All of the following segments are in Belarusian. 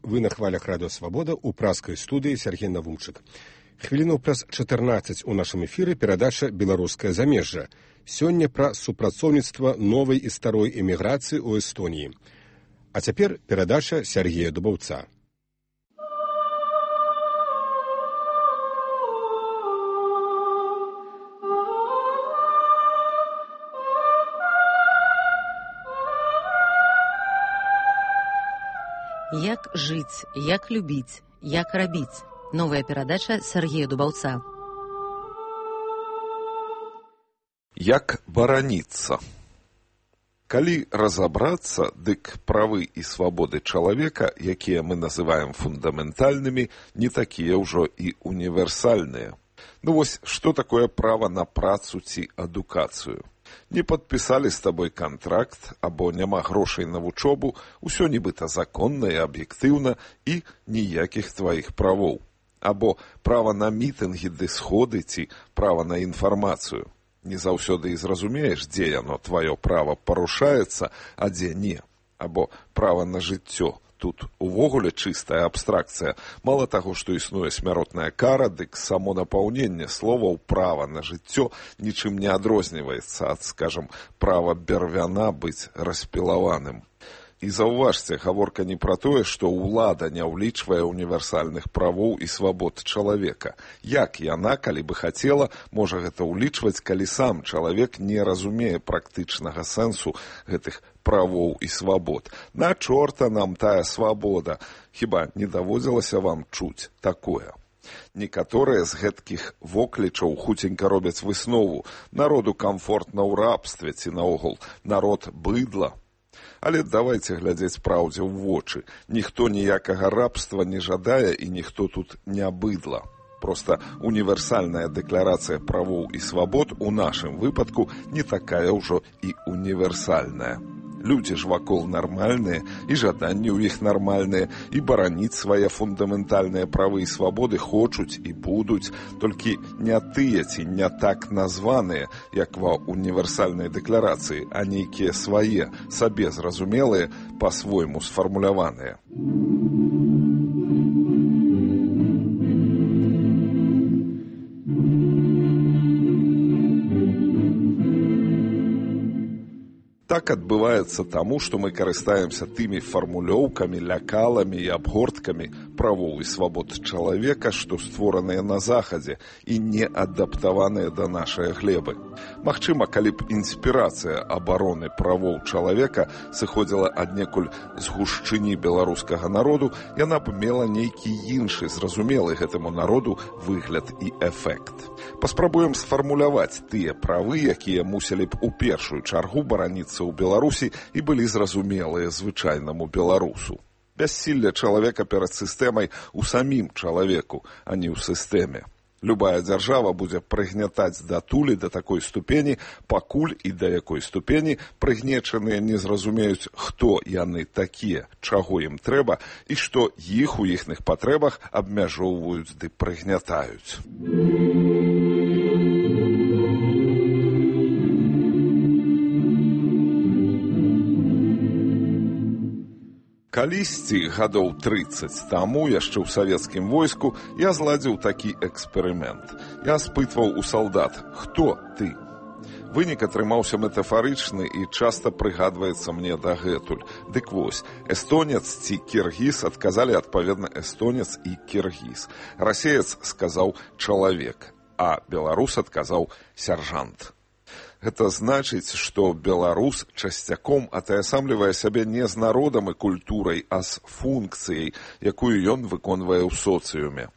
Вы на хвалях радыё Свабода ў праскай студыі Сергей Навумчык. Хвіліну праз 14 у нашым эфіры перадача «Беларускае замежжа». Сёння пра супрацоўніцтва новай і старой эміграцыі ў Эстоніі. А цяпер перадача Сергея Дубаўца. Як жыць, як любіць, як рабіць. Новая перадача Сергея Дубаўца. Як бараніцца. Калі разабрацца, дык правы і свабоды чалавека, якія мы называем фундаментальнымі, не такія ўжо і універсальныя. Ну вось, што такое права на працу ці адукацыю? Не падпісалі з табой кантракт, або няма грошай на вучобу, усё нібыта законна і аб'ектыўна, і ніякіх тваіх правоў. Або права на мітынгі ды сходы ці права на інфармацыю. Не заўсёды і зразумееш, дзе яно тваё права парушаецца, а дзе не. Або права на жыццё. Тут увогуле чыстая абстракцыя. Мала таго, што існуе смяротная кара, дык само напаўненне словаў права на жыццё нічым не адрозніваецца ад, скажам, права бервяна быць распілаваным. І заўважце, гаворка не пра тое, што ўлада не ўлічвае універсальных правоў і свабод чалавека. Як яна, калі бы хацела, можа гэта ўлічваць, калі сам чалавек не разумее практычнага сэнсу гэтых правоў і свабод. На чорта нам тая свабода. Хіба не даводзілася вам чуць такое? Некаторыя з гэткіх воклічаў хуценька робяць выснову. Народу камфортна ў рабстве ці наогул народ быдла. Але давайце глядзець праўдзе ў вочы. Ніхто ніякага рабства не жадае і ніхто тут не быдла. Проста універсальная дэкларацыя правоў і свабод у нашым выпадку не такая ўжо і універсальная. Людзі ж вакол нармальныя, і жаданні ў іх нармальныя, і бараніць свае фундаментальныя правы і свабоды хочуць і будуць, толькі не тыя ці не так названыя, як ва універсальнай дэкларацыі, а нейкія свае, сабе зразумелыя, па-свойму сфармуляваныя. Так адбываецца таму, што мы карыстаемся тымі фармулёўкамі, лякаламі і абгорткамі правоў і свабод чалавека, што створаныя на захадзе і не адаптаваныя да нашай глебы. Магчыма, калі б інспірацыя абароны правоў чалавека сыходзіла аднекуль з гушчыні беларускага народу, яна б мела нейкі іншы, зразумелы гэтаму народу выгляд і эфект. Паспрабуем сфармуляваць тыя правы, якія мусілі б у першую чаргу бараніцца ў Беларусі і былі зразумелыя звычайнаму беларусу. Бяссілле чалавека перад сістэмай у самім чалавеку, а не ў сістэме. Любая дзяржава будзе прыгнятаць датулі да такой ступені, пакуль і да якой ступені прыгнечаныя не зразумеюць, хто яны такія, чаго ім трэба і што іх у іхных патрэбах абмяжоўваюць ды прыгнятаюць. Калісьці, гадоў 30 таму, яшчэ ў савецкім войску, я зладзіў такі эксперымент. Я спытваў у салдат, хто ты? Вынік атрымаўся метафарычны і часта прыгадваецца мне дагэтуль. Дык вось, эстонец ці кіргіз адказалі адпаведна эстонец і кіргіз. Расеец сказаў чалавек, а беларус адказаў сяржант. Гэта значыць, што беларус часцяком атаясамлівае сябе не з народам і культурай, а з функцыяй, якую ён выконвае ў соцыуме.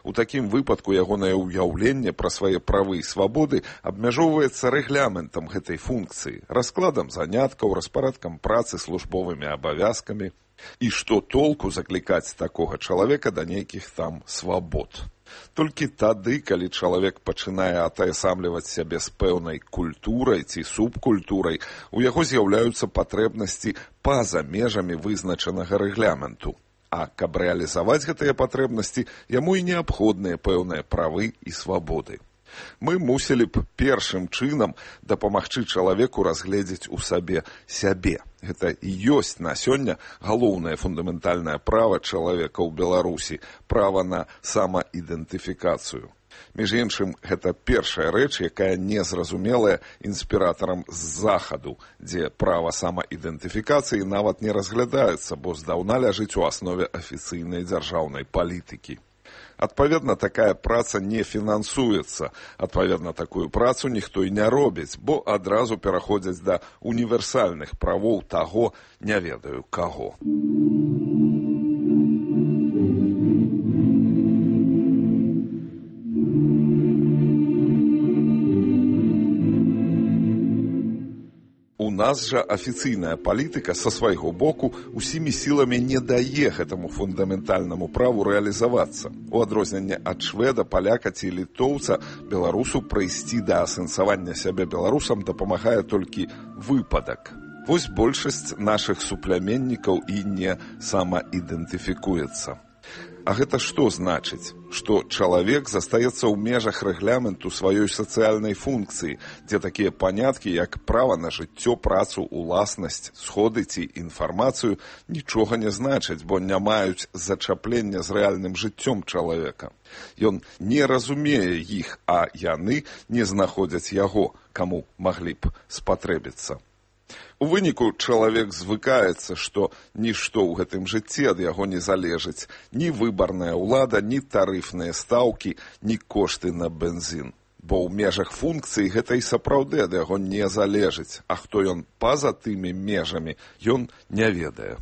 У такім выпадку ягонае ўяўленне пра свае правы і свабоды абмяжоўваецца рэгламентам гэтай функцыі, раскладам заняткаў, распарадкам працы, службовымі абавязкамі. І што толку заклікаць такога чалавека да нейкіх там свабод? Толькі тады, калі чалавек пачынае атаясамліваць сябе з пэўнай культурай ці субкультурай, у яго з'яўляюцца патрэбнасці па-за межамі вызначанага рэгламенту. А каб рэалізаваць гэтыя патрэбнасці, яму і неабходныя пэўныя правы і свабоды. Мы мусілі б першым чынам дапамагчы чалавеку разгледзець у сабе сябе. Гэта і ёсць на сёння галоўнае фундаментальнае права чалавека ў Беларусі – права на самаідэнтыфікацыю. Між іншым, гэта першая рэч, якая незразумелая інспіратарам з захаду, дзе права самаідэнтыфікацыі нават не разглядаецца, бо здаўна ляжыць у аснове афіцыйнай дзяржаўнай палітыкі. Адпаведна, такая праца не фінансуецца. Адпаведна, такую працу ніхто і не робіць, бо адразу пераходзяць да універсальных правоў таго, не ведаю каго. У нас жа афіцыйная палітыка са свайго боку усімі сіламі не дае гэтаму фундаментальнаму праву рэалізавацца. У адрозненне ад шведа, паляка ці літоўца, беларусу прыйсці да асэнсавання сябе беларусам дапамагае толькі выпадак. Вось большасць нашых супляменнікаў і не самаідэнтыфікуецца. А гэта што значыць? Што чалавек застаецца ў межах рэгламенту сваёй сацыяльнай функцыі, дзе такія паняткі, як права на жыццё, працу, уласнасць, сходы ці інфармацыю нічога не значаць, бо не маюць зачаплення з рэальным жыццём чалавека. Ён не разумее іх, а яны не знаходзяць яго, каму маглі б спатрэбіцца. У выніку чалавек звыкаецца, што нішто ў гэтым жыцці ад яго не залежыць. Ні выбарная ўлада, ні тарыфныя стаўкі, ні кошты на бензін. Бо ў межах функцыі гэта і сапраўды ад яго не залежыць. А хто ён па-за тымі межамі, ён не ведае.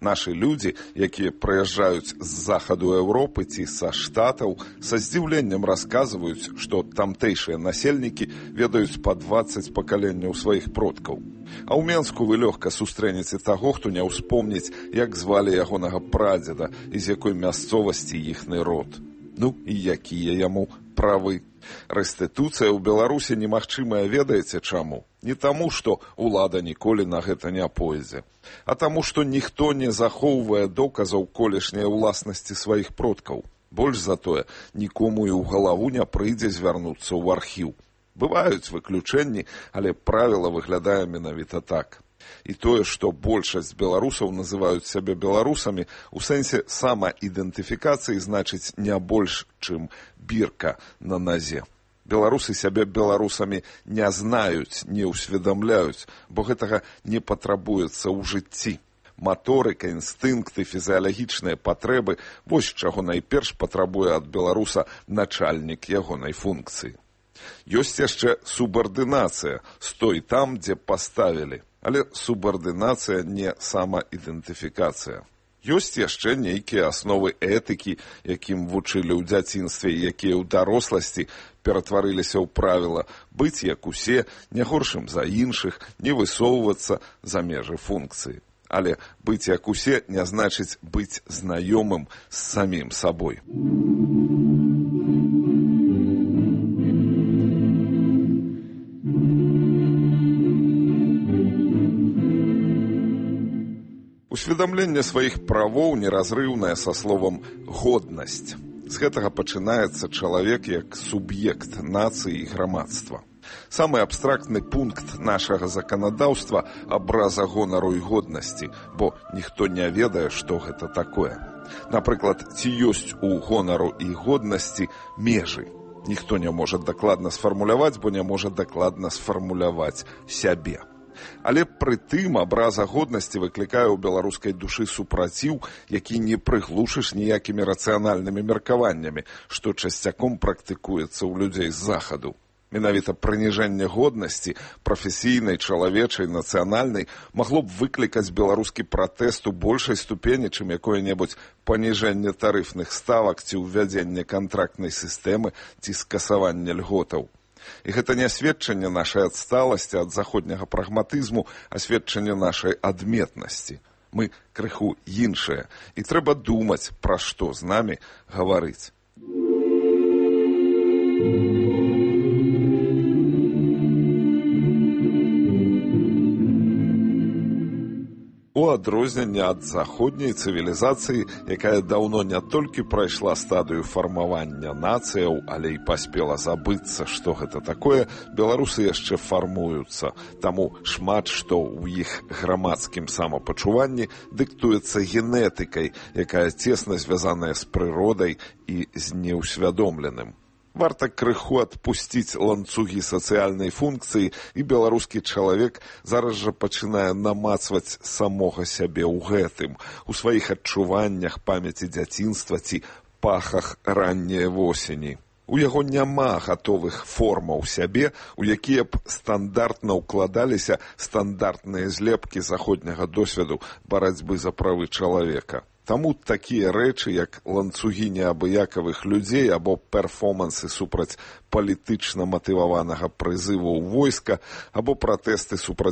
Нашы людзі, якія прыязджаюць з захаду Еўропы ці са Штатаў, са здзіўленнем расказваюць, што тамтэйшыя насельнікі ведаюць па 20 пакаленняў сваіх продкаў. А ў Менску вы лёгка сустрэнеце таго, хто не ўспомніць, як звалі ягонага прадзеда і з якой мясцовасці іхны род. Ну і якія яму правы. Рэстытуцыя ў Беларусі немагчымая, ведаеце чаму? Не таму, што ўлада ніколі на гэта не пойдзе, а таму, што ніхто не захоўвае доказаў колішняй уласнасці сваіх продкаў. Больш за тое, нікому і ў галаву не прыйдзе звярнуцца ў архіў. Бываюць выключэнні, але правіла выглядае менавіта так. І тое, што большасць беларусаў называюць сябе беларусамі, у сэнсе самаідэнтыфікацыі значыць не больш, чым бірка на назе. Беларусы сябе беларусамі не знаюць, не ўсведамляюць, бо гэтага не патрабуецца ў жыцці. Маторыка, інстынкты, фізіялагічныя патрэбы – вось чаго найперш патрабуе ад беларуса начальнік ягонай функцыі. Ёсць яшчэ субардынацыя, стой там, дзе паставілі. Але субардынацыя не самаідэнтыфікацыя. Ёсць яшчэ нейкія асновы этыкі, якім вучылі ў дзяцінстве, якія ў даросласці ператварыліся ў правіла быць як усе, не горшым за іншых, не высоўвацца за межы функцыі. Але быць як усе не значыць быць знаёмым з самім сабой. Усведамленне сваіх правоў неразрыўнае са словам «годнасць». З гэтага пачынаецца чалавек як суб'ект нацыі і грамадства. Самы абстрактны пункт нашага заканадаўства – абраза гонару і годнасці, бо ніхто не ведае, што гэта такое. Напрыклад, ці ёсць у гонару і годнасці межы. Ніхто не можа дакладна сфармуляваць, бо не можа дакладна сфармуляваць сябе. Але пры тым абраза годнасці выклікае ў беларускай душы супраціў, які не прыглушыш ніякімі рацыянальнымі меркаваннямі, што часцяком практыкуецца ў людзей з захаду. Менавіта прыніжэнне годнасці, прафесійнай, чалавечай, нацыянальнай, магло б выклікаць беларускі пратэст у большай ступені, чым якое-небудзь паніжэнне тарыфных ставак ці ўвядзенне кантрактнай сістэмы ці скасаванне льготаў. І гэта не сведчанне нашай адсталасці ад заходняга прагматызму, а сведчанне нашай адметнасці. Мы крыху іншыя, і трэба думаць, пра што з намі гаварыць. У у адрозненне ад заходняй цывілізацыі, якая даўно не толькі прайшла стадыю фармавання нацыяў, але і паспела забыцца, што гэта такое, беларусы яшчэ фармуюцца. Таму шмат што ў іх грамадскім самапачуванні дыктуецца генетыкай, якая цесна звязаная з прыродай і з неўсвядомленым. Варта крыху адпусціць ланцугі сацыяльнай функцыі, і беларускі чалавек зараз жа пачынае намацваць самога сябе ў гэтым, у сваіх адчуваннях, памяці дзяцінства ці пахах ранняй восені. У яго няма гатовых формаў сябе, у якія б стандартна ўкладаліся стандартныя злепкі заходняга досведу барацьбы за правы чалавека. Таму такія рэчы, як ланцугі неабыякавых людзей або перформансы супраць палітычна матываванага прызыву ў войска або пратэсты супраць